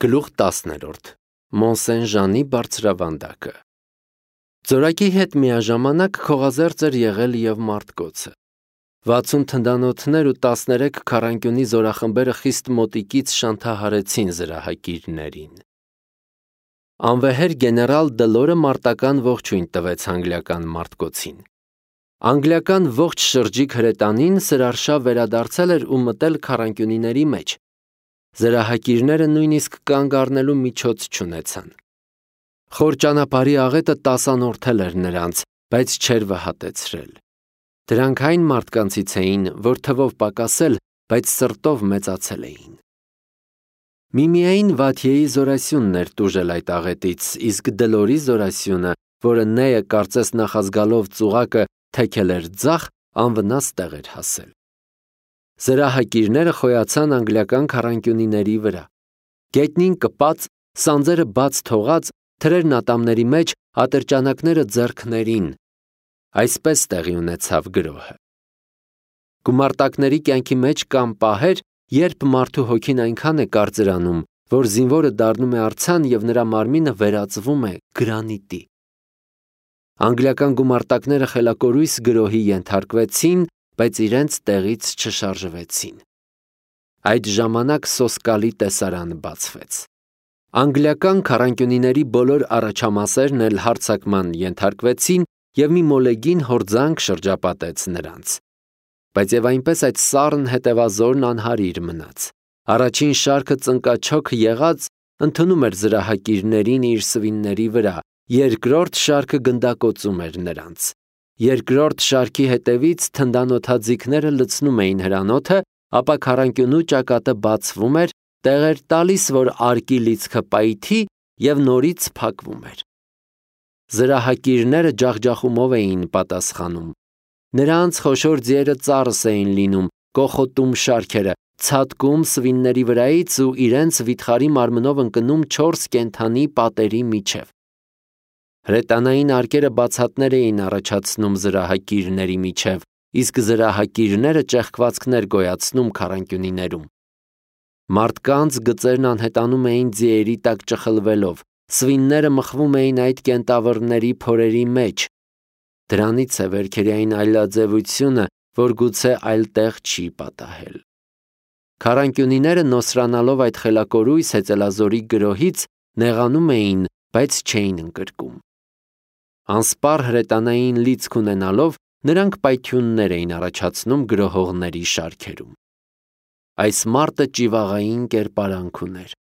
Գլուխ 10 Մոնսեն-Ժանի բարձրավանդակը Ձորակի հետ միաժամանակ քողազերծ էր եղել և Մարտկոցը։ 60 թնդանոթներ ու 13 քառանկյունի զորախմբերը խիստ մոտիկից շանթահարեցին զրահակիրներին։ Անվեհեր գեներալ Դլորը մարտական ողջույն տվեց անգլիական Մարտկոցին։ Անգլիական ողջ շրջիկ հրետանին սրարշավ վերադարձել էր ու մտել քառանկյունիների մեջ։ Զրահակիրները նույնիսկ կանգ առնելու միջոց չունեցան։ Խոր ճանապարհի աղետը տասանորդել էր նրանց, բայց չէր վհատեցրել։ Դրանք այն մարդկանցից էին, որ թվով պակասել, բայց սրտով մեծացել էին։ Միմիային Վաթիեի զորասյունն էր տուժել այդ աղետից, իսկ Դլորի զորասյունը, որը Նեյը կարծես նախազգալով ծուղակը թեքել էր ձախ, անվնաս տեղ էր հասել։ Զրահակիրները խոյացան անգլիական քառանկյունիների վրա։ Գետնին կպած, սանձերը բաց թողած, թրերն ատամների մեջ, ատրճանակները ձեռքներին։ Այսպես տեղի ունեցավ գրոհը։ Գումարտակների կյանքի մեջ կան պահեր, երբ մարդու հոգին այնքան է կարծրանում, որ զինվորը դառնում է արձան և նրա մարմինը վերածվում է գրանիտի։ Անգլիական գումարտակները խելակորույս գրոհի ենթարկվեցին, բայց իրենց տեղից չշարժվեցին։ Այդ ժամանակ սոսկալի տեսարան բացվեց։ Անգլիական քառանկյունիների բոլոր առաջամասերն էլ հարձակման ենթարկվեցին և մի մոլեգին հորձանք շրջապատեց նրանց։ Բայց և այնպես այդ սառն հետևազորն անհարիր մնաց։ Առաջին շարքը ծնկաչոք եղած ընդունում էր զրահակիրներին իր սվինների վրա, երկրորդ շարքը գնդակոծում էր նրանց։ Երկրորդ շարքի հետևից թնդանոթաձիգները լցնում էին հրանոթը, ապա քառանկյունու ճակատը բացվում էր, տեղ էր տալիս, որ արկի լիցքը պայթի և նորից փակվում էր։ Զրահակիրները ջախջախումով էին պատասխանում։ Նրանց խոշոր ձիերը ծառս էին լինում, կոխոտում շարքերը, ցատկում սվինների վրայից ու իրենց վիթխարի մարմնով ընկնում 4 կենդանի պատերի միջև։ Հրետանային արկերը բացատներ էին առաջացնում զրահակիրների միջև, իսկ զրահակիրները ճեղքվածքներ գոյացնում քառանկյունիներում։ Մարդկանց գծերն անհետանում էին ձիերի տակ ճխլվելով, սվինները մխվում էին այդ կենտավռների փորերի մեջ։ Դրանից է վերքերային այլաձևությունը, որ գուցե այլտեղ չի պատահել։ Քառանկյունիները նոսրանալով այդ խելակորույս հեծելազորի գրոհից նեղանում էին, բայց չէին ընկրկում։ Անսպառ հրետանային լիցք ունենալով նրանք պայթյուններ էին առաջացնում գրոհողների շարքերում։ Այս մարտը ճիվաղային կերպարանք ուներ։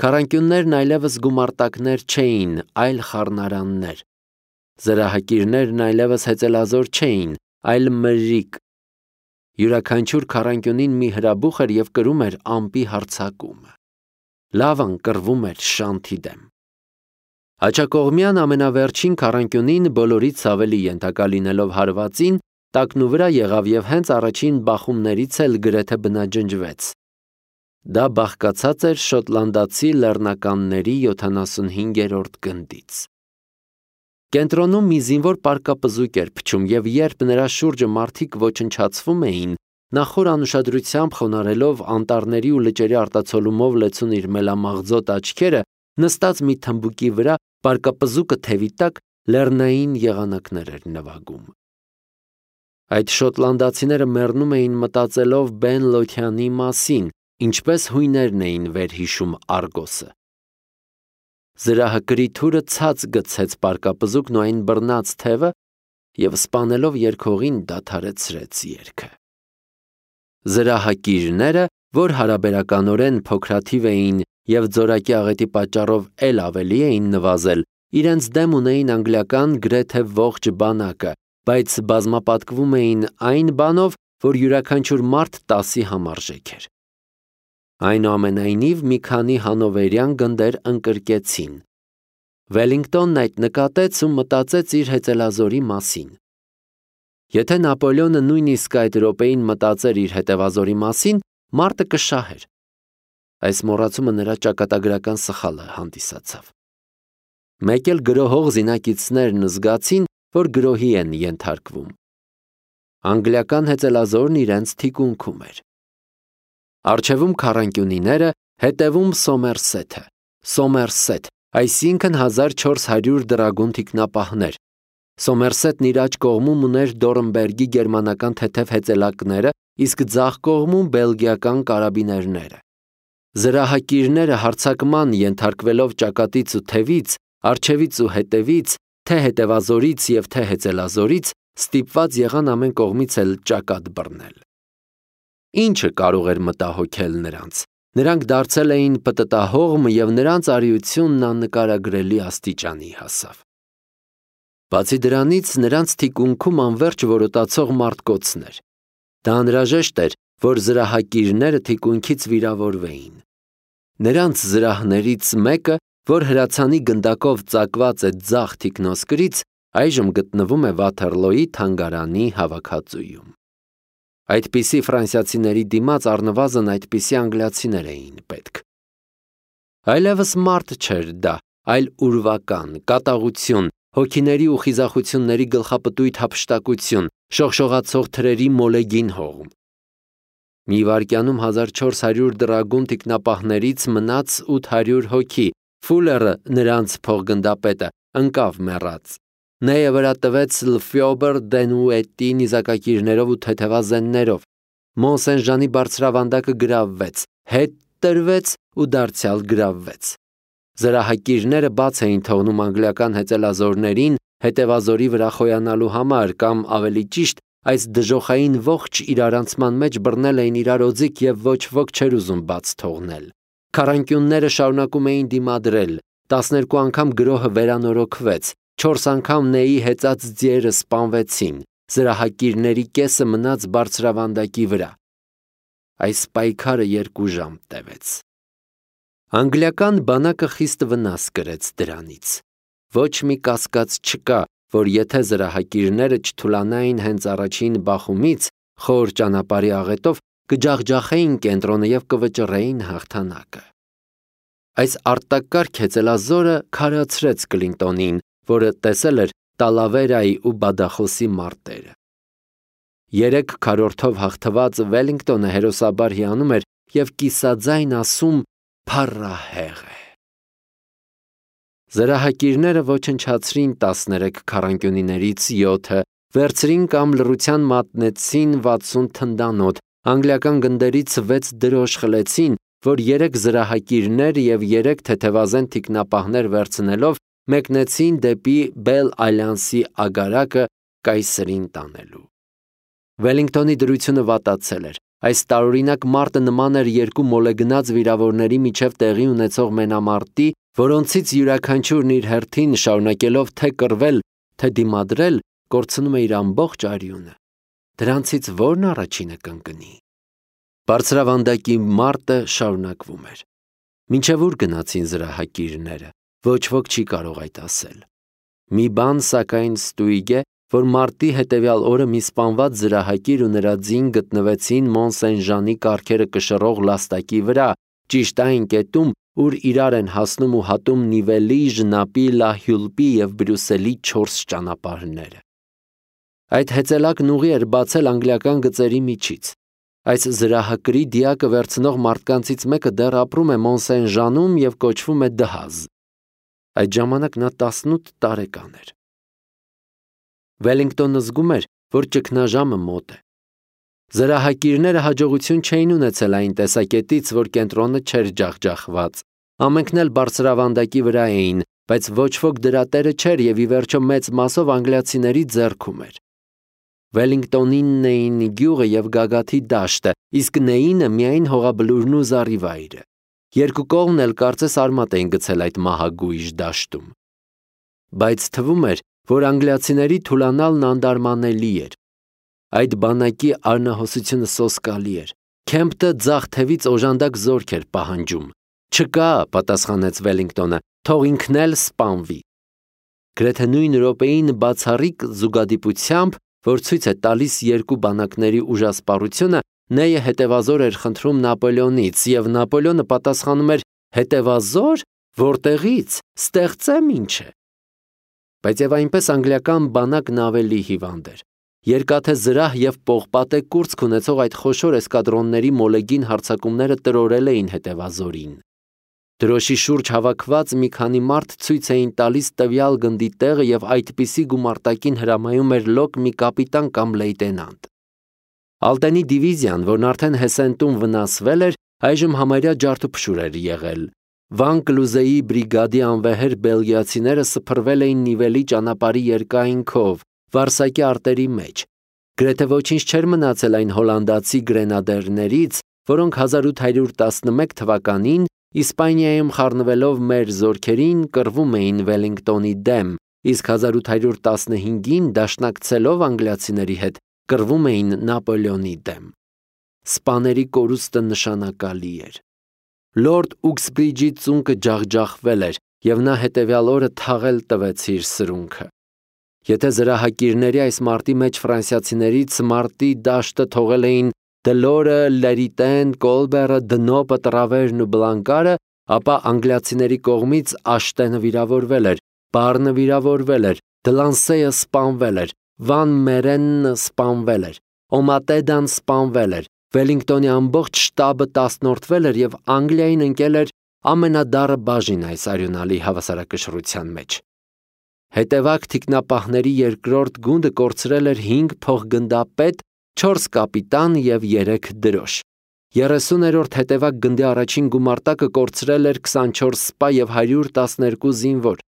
Քառանկյուններն այլևս գումարտակներ չէին, այլ խառնարաններ։ Զրահակիրներն այլևս հեծելազոր չէին, այլ մրրիկ։ Յուրաքանչյուր քառանկյունին մի հրաբուխ էր և կրում էր ամպի հարձակումը։ Լավան կռվում էր շանթի դեմ։ Հաճակողմյան ամենավերջին քառանկյունին բոլորից ավելի ենթակա լինելով հարվածին, տակնուվրա եղավ և հենց առաջին բախումներից էլ գրեթե բնաջնջվեց։ Դա բաղկացած էր շոտլանդացի լեռնականների 75-րդ գնդից։ Կենտրոնում մի զինվոր պարկապզուկ էր փչում, և երբ նրա շուրջը մարդիկ ոչնչացվում էին, նա խոր անուշադրությամբ խոնարհելով անտառների ու լճերի արտացոլումով լեցուն իր մելամաղձոտ աչքերը, նստած մի թմբուկի վրա, պարկապզուկը թևի տակ լեռնային եղանակներ էր նվագում։ Այդ շոտլանդացիները մեռնում էին մտածելով Բեն Լոթյանի մասին, ինչպես հույներն էին վերհիշում Արգոսը։ Զրահակրի թուրը ցած գցեց պարկապզուկն ու այն բռնած թևը և սպանելով երգողին դադարեցրեց երգը։ Զրահակիրները, որ հարաբերականորեն փոքրաթիվ էին և ձորակի աղետի պատճառով էլ ավելի էին նվազել, իրենց դեմ ունեին անգլիական գրեթե ողջ բանակը, բայց բազմապատկվում էին այն բանով, որ յուրաքանչյուր մարդ 10-ի համարժեք էր։ Այնուամենայնիվ մի քանի հանովերյան գնդեր ընկրկեցին։ Վելինգտոնն այդ նկատեց ու մտածեց իր հեծելազորի մասին։ Եթե Նապոլեոնը նույնիսկ այդ րոպեին մտածեր իր հետևազորի մասին, մարտը կշահեր։ Այս մոռացումը նրա ճակատագրական սխալը հանդիսացավ։ Մեկ էլ գրոհող զինակիցներն զգացին, որ գրոհի են ենթարկվում։ Անգլիական հեծելազորն իրենց թիկունքում էր։ Առջևում քառանկյունիները, հետևում Սոմերսեթը։ Սոմերսետ, այսինքն 1400 դրագուն թիկնապահներ։ Սոմերսետն իր աջ կողմում ուներ Դորնբերգի գերմանական թեթև հեծելակները, իսկ ձախ կողմում բելգիական կարաբիներները։ Զրահակիրները հարձակման ենթարկվելով ճակատից ու թևից, առջևից ու հետևից, թե հետևազորից և թե հեծելազորից, ստիպված եղան ամեն կողմից էլ ճակատ բռնել։ Ինչը կարող էր մտահոգել նրանց։ Նրանք դարձել էին պտտահողմ և նրանց արիությունն աննկարագրելի աստիճանի հասավ։ Բացի դրանից, նրանց թիկունքում անվերջ որոտացող մարտկոցներ։ Դա անհրաժեշտ էր, որ զրահակիրները թիկունքից վիրավորվեին։ Նրանց զրահներից մեկը, որ հրացանի գնդակով ծակված է ձախ թիկնոսկրից, այժմ գտնվում է Վաթերլոյի թանգարանի հավաքածուում։ Այդպիսի ֆրանսիացիների դիմաց առնվազն այդպիսի անգլիացիներ էին պետք։ Այլևս մարդ չէր դա, այլ ուրվական, կատաղություն, հոգիների ու խիզախությունների գլխապտույտ հափշտակություն, շողշողացող թրերի մոլեգին հողմ։ Մի վայրկյանում 1400 դրագուն թիկնապահներից մնաց 800 հոգի, Ֆուլերը, նրանց փոխգնդապետը, ընկավ մեռած։ Նեյը վրա տվեց Լֆյոբեր Դենուետի նիզակակիրներով ու թեթևազեններով։ Մոնսեն-Ժանի բարձրավանդակը գրավվեց, հետ տրվեց ու դարձյալ գրավվեց։ Զրահակիրները բաց էին թողնում անգլիական հեծելազորներին հետևազորի վրա խոյանալու համար, կամ ավելի ճիշտ, այս դժոխային ողջ իրարանցման մեջ բռնել էին իրար օձիք և ոչ ոք չէր ուզում բաց թողնել։ Քառանկյունները շարունակում էին դիմադրել, 12 անգամ գրոհը վերանորոգվեց, 4 անգամ Նեյի հեծած ձիերը սպանվեցին, զրահակիրների կեսը մնաց բարձրավանդակի վրա։ Այս պայքարը 2 ժամ տևեց։ Անգլիական բանակը խիստ վնաս կրեց դրանից։ Ոչ մի կասկած չկա, որ եթե զրահակիրները չթուլանային հենց առաջին բախումից, խոր ճանապարհի աղետով, կջախջախեին կենտրոնը և կվճռեին հաղթանակը։ Այս արտակարգ հեծելազորը քարացրեց Կլինտոնին, որը տեսել էր Տալավերայի ու Բադախոսի մարտերը։ 3 քառորդով հաղթված Վելինգտոնը հերոսաբար հիանում էր և կիսաձայն ասում «Փառահեղ է»։ Զրահակիրները ոչնչացրին 13 քառանկյունիներից 7-ը, վերցրին կամ լռության մատնեցին 60 թնդանոթ, անգլիական գնդերից 6 դրոշ խլեցին, որ 3 զրահակիրներ և 3 թեթևազեն թիկնապահներ վերցնելով մեկնեցին դեպի Բել-Այլյանսի ագարակը կայսրին տանելու։ Վելինգտոնի դրությունը վատացել էր։ Այս տարօրինակ մարտը նման էր 2 մոլեգնած վիրավորների միջև տեղի ունեցող մենամարտի, որոնցից յուրաքանչյուրն իր հերթին շարունակելով թե կռվել, թե դիմադրել, կորցնում է իր ամբողջ արյունը։ Դրանցից ո՞րն առաջինը կընկնի։ Բարձրավանդակի մարտը շարունակվում էր։ Մինչև ուր գնացին զրահակիրները, ոչ ոք չի կարող այդ ասել։ Մի բան սակայն ստույգ է, որ մարտի հետևյալ օրը մի սպանված զրահակիր ու նրա ձին գտնվեցին Մոնսեն-Ժանի կառքերը կշռող լաստակի վրա, ճիշտ այն կետում, ուր իրար են հասնում ու հատում Նիվելի, Ժնապի, Լահյուլպի և Բրյուսելի 4 ճանապարհները։ Այդ հեծելակն ուղի էր բացել անգլիական գծերի միջից։ Այս զրահակրի դիակը վերցնող մարդկանցից մեկը դեռ ապրում է Մոնսեն-Ժանում և կոչվում է Դհազ։ Այդ ժամանակ նա 18 տարեկան էր։ Վելինգտոնը զգում էր, որ ճգնաժամը մոտ է։ Զրահակիրները հաջողություն չէին ունեցել այն տեսակետից, որ կենտրոնը չէր ջախջախված։ Ամենքն էլ բարձրավանդակի վրա էին, բայց ոչ ոք դրա տերը չէր և ի վերջո մեծ մասով անգլիացիների ձեռքում էր։ Վելինգտոնինն էին գյուղը և գագաթի դաշտը, իսկ Նեյինը միայն հողաբլուրն ու զառիվայրը։ Երկու կողմն էլ կարծես արմատ էին գցել այդ մահագույժ դաշտում։ Բայց թվում էր, որ անգլիացիների թուլանալն անդարմանելի էր։ Այդ բանակի արնահոսությունը սոսկալի էր։ Քեմփը ձախ թևից օժանդակ զորք էր պահանջում։ Չկա, պատասխանեց Վելինգտոնը, թող ինքն էլ սպանվի։ Գրեթե նույն րոպեին բացառիկ զուգադիպությամբ, որ ցույց է տալիս երկու բանակների ուժասպառությունը, Նեյը հետևազոր էր խնդրում Նապոլեոնից, և Նապոլեոնը պատասխանում էր. հետևազոր, որտեղից, ստեղծեմ ինչ է։ Բայց եւ այնպես անգլիական բանակն ավելի հիվանդ էր։ Երկաթե զրահ և պողպատե կուրծք ունեցող այդ խոշոր էսկադրոնների մոլեգին հարձակումները տրորել էին հետևազորին։ Դրոշի շուրջ հավաքված մի քանի մարդ ցույց էին տալիս տվյալ գնդի տեղը եւ այդպիսի գումարտակին հրամայում էր լոկ մի կապիտան կամ լեյտենանտ։ Ալտենի դիվիզիան, որն արդեն Հեսենտում վնասվել էր, այժմ համարյա ջարդուփշուր էր եղել։ Վան Կլուզեի բրիգադի անվեհեր բելգիացիները սփռվել էին Նիվելի ճանապարհի երկայնքով, Վարսակի արտերի մեջ։ Գրեթե ոչինչ չէր մնացել այն հոլանդացի գրենադերներից, որոնք 1811 թվականին Իսպանիայում խառնվելով մեր զորքերին կռվում էին Վելինգտոնի դեմ, իսկ 1815-ին դաշնակցելով անգլիացիների հետ կռվում էին Նապոլեոնի դեմ։ Սպաների կորուստը նշանակալի էր։ Լորդ Ուքսբրիջի ծունկը ջախջախվել էր, եւ նա հետևյալ օրը թաղել տվեց իր սրունքը։ Եթե զրահակիրների այս մարտի մեջ ֆրանսիացիներից մարտի դաշտը թողել էին Դլորը, Լերիտեն, Կոլբերը, Դնոպը, Տրավերն ու Բլանկարը, ապա անգլիացիների կողմից Աշտենը վիրավորվել էր, Բարնը վիրավորվել էր, Դլանսեյը սպանվել էր, Վան Մերենը սպանվել էր, Օմատեդան սպանվել էր, Վելինգտոնի ամբողջ շտաբը տասնորդվել էր եւ Անգլիային ընկել էր ամենադառը բաժին այս արյունալի հավասարակշռության մեջ։ Հետևակ թիկնապահների երկրորդ գունդը կորցրել էր 5 փոխգնդապետ, 4 կապիտան եւ 3 դրոշ։ 30-րդ հետևակ գնդի առաջին գումարտակը կորցրել էր 24 սպա եւ 112 զինվոր։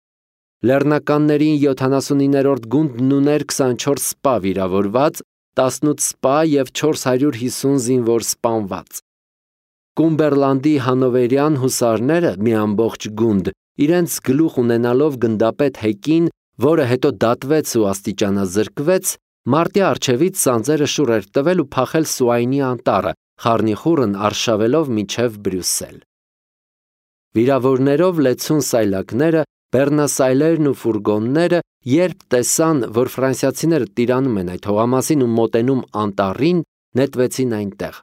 Լեռնականներին 79-րդ գունդն ուներ 24 սպա վիրավորված, 18 սպա եւ 450 զինվոր սպանված։ Կումբերլանդի հանովերյան հուսարները մի ամբողջ գունդ, իրենց գլուխ ունենալով գնդապետ Հեկին, որը հետո դատվեց ու աստիճանազրկվեց, մարտի առջևից սանձերը շուռ էր տվել ու փախել Սուայնի անտառը, խառնիխուռն արշավելով մինչև Բրյուսել։ Վիրավորներով լեցուն սայլակները, բեռնասայլերն ու ֆուրգոնները, երբ տեսան, որ ֆրանսիացիները տիրանում են այդ հողամասին ու մոտենում անտառին, նետվեցին այնտեղ։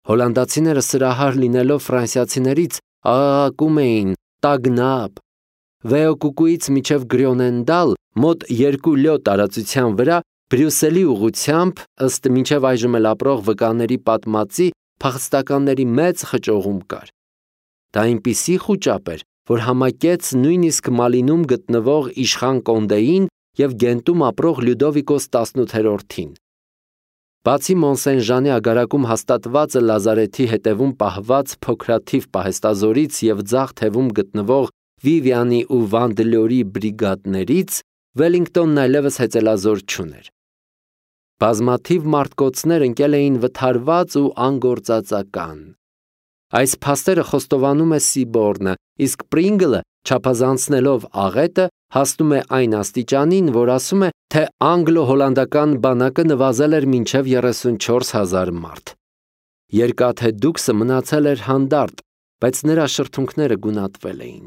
Հոլանդացիները սրահար լինելով ֆրանսիացիներից աղաղակում էին «Տագնապ»։ Վեոկուկուից մինչև Գրյոնենդալ մոտ 2 լյո տարածության վրա Բրյուսելի ուղությամբ, ըստ մինչև այժմ էլ ապրող վկաների պատմածի, փախստականների մեծ խճողում կար։ Դա այնպիսի խուճապ էր, որ համակեց նույնիսկ Մալինում գտնվող իշխան Կոնդեին եւ Գենտում ապրող Լյուդովիկոս 18-ին։ Բացի Մոնսեն-Ժանի ագարակում հաստատվածը Լազարեթի հետևում պահված փոքրաթիվ պահեստազորից եւ ձախ թևում գտնվող Վիվիանի ու Վանդելյորի բրիգադներից, Վելինգտոնն այլևս հեծելազոր չուներ։ Բազմաթիվ մարտկոցներ ընկել էին վթարված ու անգործածական։ Այս փաստերը խոստովանում է Սիբորնը, իսկ Պրինգլը, չափազանցնելով աղետը, հասնում է այն աստիճանին, որ ասում է, թե անգլո-հոլանդական բանակը նվազել էր մինչև 34,000 մարդ։ Երկաթե Դուքսը մնացել էր հանդարտ, բայց նրա շրթունքները գունատվել էին։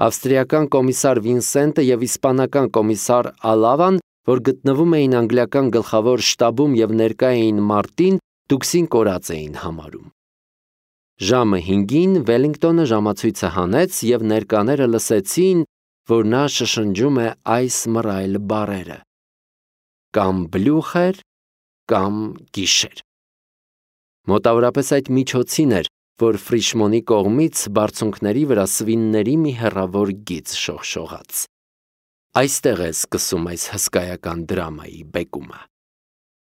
Ավստրիական կոմիսար Վինսենտը եւ իսպանական կոմիսար Ալավան, որ գտնվում էին անգլիական գլխավոր շտաբում եւ ներկա էին մարտին, Դուքսին կորած էին համարում։ Ժամը 5-ին Վելինգտոնը ժամացույցը հանեց եւ ներկաները լսեցին, որ նա շշնջում է այս մռայլ բառերը. կամ բլյուխեր, կամ գիշեր։ Մոտավորապես այդ միջոցին էր, որ Ֆրիշմոնի կողմից բարձունքների վրա սվինների մի հեռավոր գիծ շողշողաց։ Այստեղ է սկսում այս հսկայական դրամայի բեկումը։